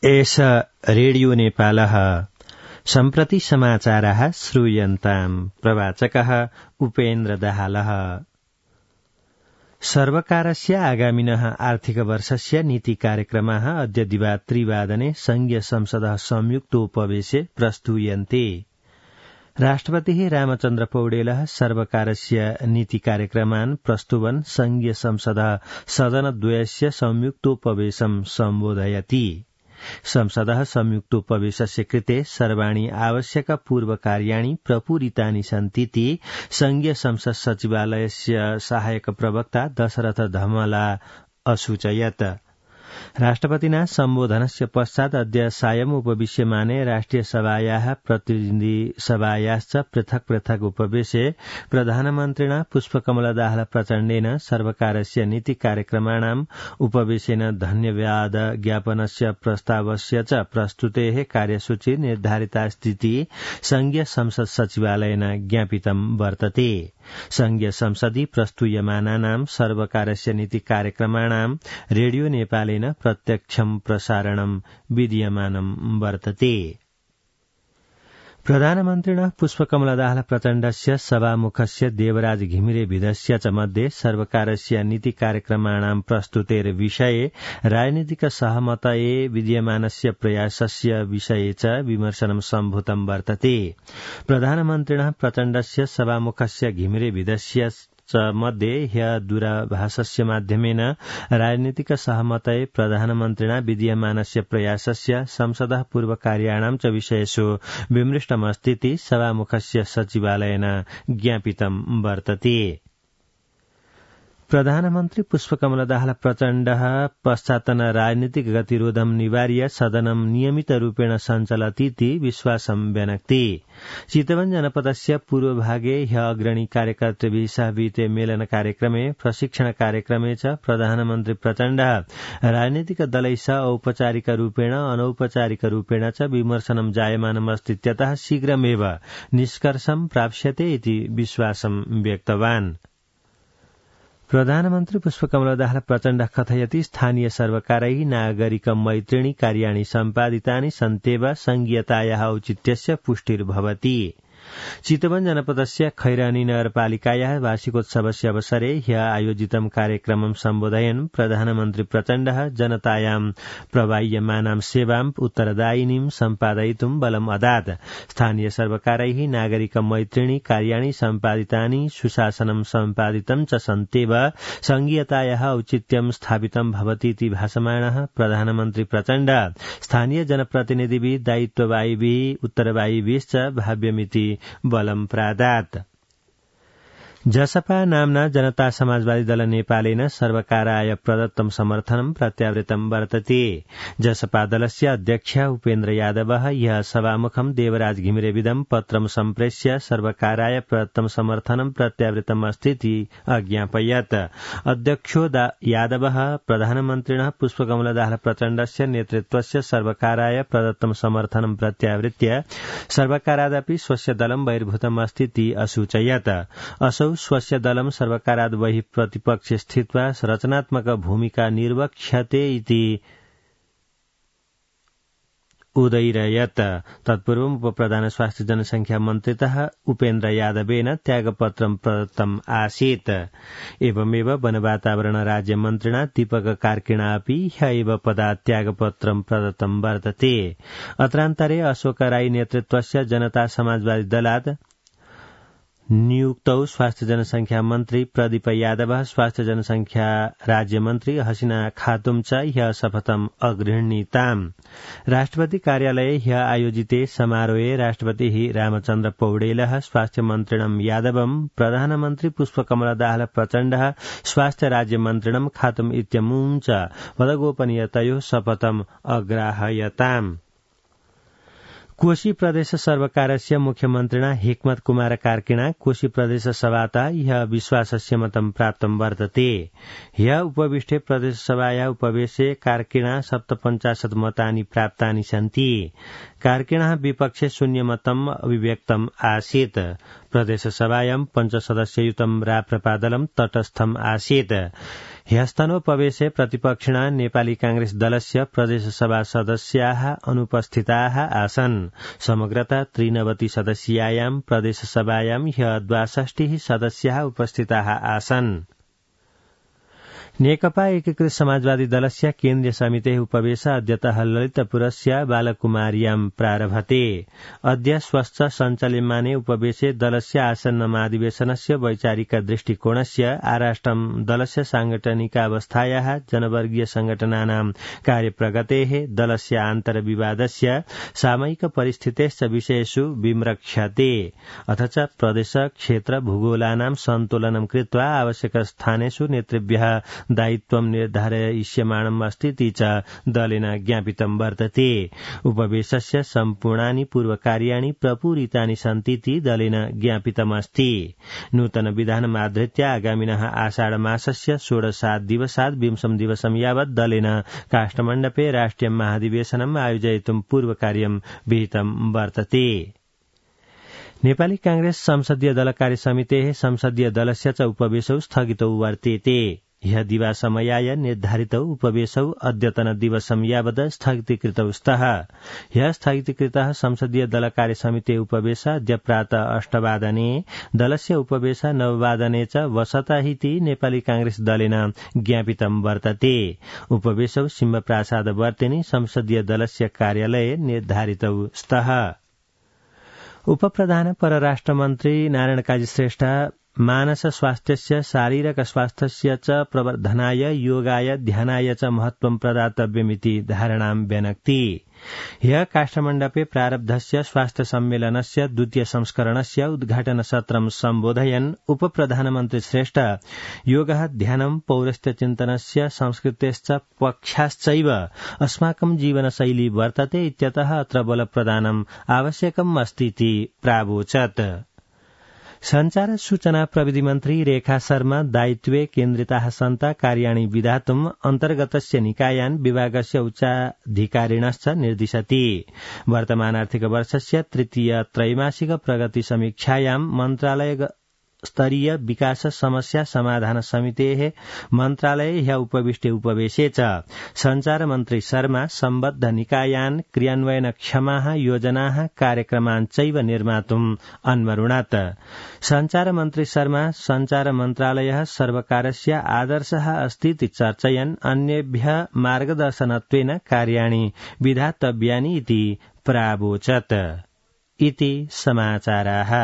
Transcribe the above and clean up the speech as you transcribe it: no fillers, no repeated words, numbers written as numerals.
एष रेडियो नेपालः सम्प्रति समाचारः श्रूयन्ताम् प्रवाचकः उपेन्द्र दाहालः। सर्वकारस्य आगामिनः आर्थिकवर्षस्य नीति कार्यक्रमाः अद्य दिवा 3 संघीय संसदः संयुक्तोपवेशे प्रस्तूयन्ते। राष्ट्रपतिः रामचन्द्र पौडेलः सर्वकारस्य नीति कार्यक्रमान् प्रस्तुवन् संघीय संसदः सदनद्वयस्य संयुक्तोपवेशं सम्बोधयति। संसदः संयुक्तोपवेशस्य कृते सर्वाणि आवश्यक पूर्वकार्याणि प्रपूरितानि सन्तीति संघीय संसद सचिवालयस्य सहायक प्रवक्ता दशरथ धमला असूचयत्। राष्ट्रपतिना सम्बोधनस्य पश्चात् अद्य सायम् उपविश्यमाने राष्ट्रिय सभायाः प्रतिनिधि सभायाश्च पृथक् पृथक् उपवेशे प्रधानमन्त्रिणा पुष्पकमलदाहाल प्रचण्डेन सर्वकारस्य नीति कार्यक्रमाणाम् उपवेशेन धन्यवाद ज्ञापनस्य प्रस्तावस्य च प्रस्तुतेः कार्यसूची निर्धारिता स्थिति संघीय संसद सचिवालयेन ज्ञापितं वर्तते। संघीय संसदि प्रस्तूयमानानां सर्वकारस्य नीति कार्यक्रमाणां रेडियो नेपालेन प्रत्यक्षं प्रसारणं विधीयमानं वर्तते। प्रधानमन्त्रिणः पुष्पकमलदाहाल प्रचण्डस्य सभामुखस्य देवराज घिमिरे भिदस्य च मध्ये सर्वकारस्य नीति कार्यक्रमाणां प्रस्तुतेर विषये राजनीतिक सहमतये विद्यमानस्य प्रयासस्य विषये च विमर्शनं सम्भूतं वर्तते। प्रधानमन्त्रिणः प्रचण्डस्य सभामुखस्य घिमिरे भिदस्य च मध्ये ह्य दूरभाषस्य माध्यमेन राजनीतिक सहमतये प्रधानमन्त्रिणा विद्यमानस्य प्रयासस्य संसदः पूर्वकार्याणां च विषयेषु विमृष्टमस्तीति सभामुखस्य सचिवालयेन ज्ञापितं वर्तते। प्रधानमन्त्री पुष्पकमलदाहाल प्रचण्डः पश्चातन राजनीतिक गतिरोधं निवार्य सदनं नियमितरूपेण सञ्चलतीति विश्वासं व्यनक्ति। चितवन जनपदस्य पूर्वभागे ह्य अग्रणी कार्यकर्तृभिः सह विहिते मेलन कार्यक्रमे प्रशिक्षण कार्यक्रमे च प्रधानमन्त्री प्रचण्डः राजनीतिक दलैः सह औपचारिकरूपेण अनौपचारिकरूपेण च विमर्शनं जायमानमस्तीत्यतः शीघ्रमेव निष्कर्षं प्राप्स्यते इति विश्वासं व्यक्तवान्। प्रधानमन्त्री पुष्पकमलदाहाल प्रचण्डः कथयति स्थानीय सर्वकारैः नागरिक मैत्रिणी कार्याणि सम्पादितानि सन्त्येव संघीयतायाः औचित्यस्य पुष्टिर्भवति। चितवन जनपदस्य खैरानी नगरपालिकायाः वार्षिकोत्सवस्य अवसरे ह्य आयोजितं कार्यक्रमं सम्बोधयन् प्रधानमन्त्री प्रचण्डः जनतायां प्रवाह्यमानां सेवां उत्तरदायिनीं सम्पादयितुं बलम् अदात्। स्थानीय सर्वकारैः नागरिक मैत्रिणी कार्याणि सम्पादितानि सुशासनं सम्पादितं च सन्त्येव संघीयतायाः औचित्यं स्थापितं भवतीति भाषमाणः प्रधानमन्त्री प्रचण्डः स्थानीय जनप्रतिनिधिभिः दायित्ववाहिभिः उत्तरवाहिभिश्च भाव्यमिति बलं प्रादात्। जसपा नाम्ना जनता समाजवादी दल नेपालेन सर्वकाराय प्रदत्तं समर्थनं प्रत्यावृतं वर्तते। जसपा दलस्य अध्यक्ष उपेन्द्र यादवः ह्यः सभामुखं देवराज घिमिरेविदं पत्रं सम्प्रेष्य सर्वकाराय प्रदत्तं समर्थनं प्रत्यावृतम् अस्तीति अज्ञापयत्। अध्यक्षो यादवः प्रधानमन्त्रिणः पुष्पकमलदाहाल प्रचण्डस्य नेतृत्वस्य सर्वकाराय प्रदत्तं समर्थनं प्रत्यावृत्य सर्वकारादपि स्वस्य दलं बहिर्भूतम् अस्तीति असूचयत्। असौ स्वस्य दलं सर्वकाराद् बहिः प्रतिपक्षे स्थित्वा रचनात्मक भूमिका निर्वक्ष्यते इति उदयिरयत्। तत्पूर्वम् उपप्रधान स्वास्थ्य जनसंख्या मन्त्रितः उपेन्द्र यादवेन त्यागपत्रं प्रदत्तम् आसीत्। एवमेव वन वातावरण राज्य मन्त्रिणा दीपक कार्किणा अपि ह्य एव पदात् त्यागपत्रं प्रदत्तं वर्तते। अत्रान्तरे अशोक राई नेतृत्वस्य जनता समाजवादी दलात् नियुक्तौ स्वास्थ्य जनसंख्या मन्त्री प्रदीप यादव स्वास्थ्य जनसंख्या राज्य मन्त्री हसीना खातुम च ह्यः शपथम् अगृह्णीताम्। राष्ट्रपति कार्यालये ह्यः आयोजिते समारोहे राष्ट्रपतिः रामचन्द्र पौडेलः स्वास्थ्य मन्त्रिणं यादवं प्रधानमन्त्री पुष्पकमलदाहाल प्रचण्डः स्वास्थ्य राज्य मन्त्रिणं खातुम इत्यमुं च पदगोपनीयतयोः शपथम् अग्राहयताम्। कोशी प्रदेश सर्वकारस्य मुख्यमन्त्रिणा हिक्मत कुमार कार्किणा कोशी प्रदेश सभातः ह्यः विश्वासस्य मतं प्राप्तं वर्तते। ह्यः उपविष्टे प्रदेश सभायाः उपवेशे कार्किणा 57 मतानि प्राप्तानि सन्ति। कार्किणः विपक्षे 0 मतम् अभिव्यक्तम् आसीत्। प्रदेश सभायां 5 सदस्ययुतं राप्रपा दलं तटस्थम् आसीत्। ह्यस्तनोपवेशे प्रतिपक्षिणा नेपाली कांग्रेस दलस्य प्रदेशसभा सदस्याः अनुपस्थिताः आसन्। समग्रता 93 सदस्यायां प्रदेशसभायां ह्य 62 सदस्याः उपस्थिताः आसन्। नेकपा एकीकृत समाजवादी दलस्य केन्द्रीय समितेः उपवेश अद्यतः ललितपुरस्य बालकुमार्यां प्रारभते। अद्य स्वस्थ सञ्चाल्यमाने उपवेशे दलस्य आसन्नमाधिवेशनस्य वैचारिक दृष्टिकोणस्य आराष्ट्रं दलस्य सांगठनिकावस्थायाः जनवर्गीय संघटनानां कार्यप्रगतेः दलस्य आन्तरविवादस्य सामयिक परिस्थितेश्च विषयेषु विम्रक्ष्यते। अथ च प्रदेश क्षेत्र भूगोलानां सन्तुलनं कृत्वा आवश्यक स्थानेषु नेतृभ्यः दायित्वं निर्धारयिष्यमाणम् अस्तीति च दलेन ज्ञापितं वर्तते। उपवेशस्य सम्पूर्णानि पूर्वकार्याणि प्रपूरितानि सन्तीति दलेन ज्ञापितमस्ति। नूतन विधानमाधृत्य आगामिनः आषाढमासस्य 16 दिवसात् 20 दिवसं यावत् दलेन काष्ठमण्डपे राष्ट्रिय महाधिवेशनम् आयोजयितुं पूर्वकार्यं विहितं वर्तते। नेपाली कांग्रेस संसदीय दल कार्यसमितेः संसदीय दलस्य च उपवेशौ स्थगितौ वर्तेते। ह्य दिवासमयाय निर्धारितौ उपवेशौ अद्यतन दिवसं यावत् स्थगितीकृतौ स्तः। ह्य स्थगितीकृतः संसदीय दल कार्यसमिते उपवेश अद्य प्रातः 8 वादने दलस्य उपवेश 9 वादने च वसतः नेपाली कांग्रेस दलेन ज्ञापितं वर्तते। उपवेशौ सिंहप्रासाद वर्तेनि संसदीय दलस्य कार्यालये निर्धारितौ स्तः। उपप्रधान परराष्ट्र मन्त्री नारायण काजी श्रेष्ठ मानस स्वास्थ्यस्य शारीरिक स्वास्थ्यस्य च प्रवर्धनाय योगाय ध्यानाय च महत्वं प्रदातव्यमिति धारणां व्यनक्ति। ह्यः काष्ठमण्डपे प्रारब्धस्य स्वास्थ्य सम्मेलनस्य 2य संस्करणस्य उद्घाटन सत्रं सम्बोधयन् उपप्रधानमन्त्री श्रेष्ठ योगः ध्यानं पौरस्त्यचिन्तनस्य संस्कृतेश्च पक्षाश्चैव अस्माकं जीवनशैली वर्तते इत्यतः अत्र बलप्रदानम् आवश्यकम् अस्तीति प्रावोचत्। संचार सूचना प्रविधि मन्त्री रेखा शर्मा दायित्वे केन्द्रिताः सन्ता कार्याणि विधातुम् अन्तर्गतस्य निकायान् विभागस्य उच्चाधिकारिणश्च निर्दिशति। वर्तमान आर्थिक वर्षस्य 3य त्रैमासिक प्रगति समीक्षायां मन्त्रालय स्तरीय विकास समस्या समाधान समितेः मन्त्रालये ह्य उपविष्टे उपवेशे च संचार मन्त्री शर्मा सम्बद्ध निकायान् क्रियान्वयनक्षमाः योजनाः कार्यक्रमान् चैव निर्मातुम् अन्वरुणत्। संचार मन्त्री शर्मा संचार मन्त्रालयः सर्वकारस्य आदर्शः अस्तीति चर्चयन् अन्येभ्यः मार्गदर्शनत्वेन कार्याणि विधातव्यानि इति प्रावोचत्। इति समाचाराः।